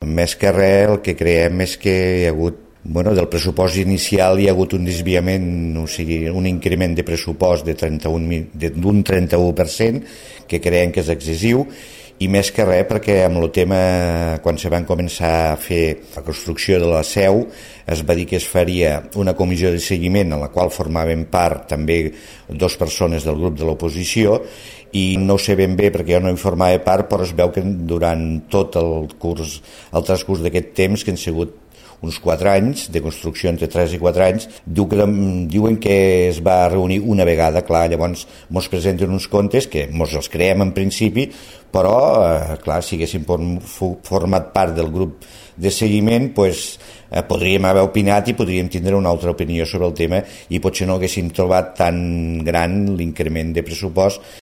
Més que res, el que creiem és que hi ha hagut del pressupost inicial hi ha hagut un desviament, o sigui, un increment de pressupost d'un 31%, que creiem que és excessiu, i més que res perquè amb el tema, quan se van començar a fer la construcció de la seu, es va dir que es faria una comissió de seguiment en la qual formaven part també 2 persones del grup de l'oposició, i no ho sé ben bé perquè jo no hi formava part, però es veu que durant tot el transcurs d'aquest temps, que han sigut uns 4 anys, de construcció entre 3 i 4 anys, diuen que es va reunir una vegada. Clar, llavors mos presenten uns comptes que mos els creem en principi, però, clar, si haguéssim format part del grup de seguiment, podríem haver opinat i podríem tindre una altra opinió sobre el tema i potser no haguéssim trobat tan gran l'increment de pressupost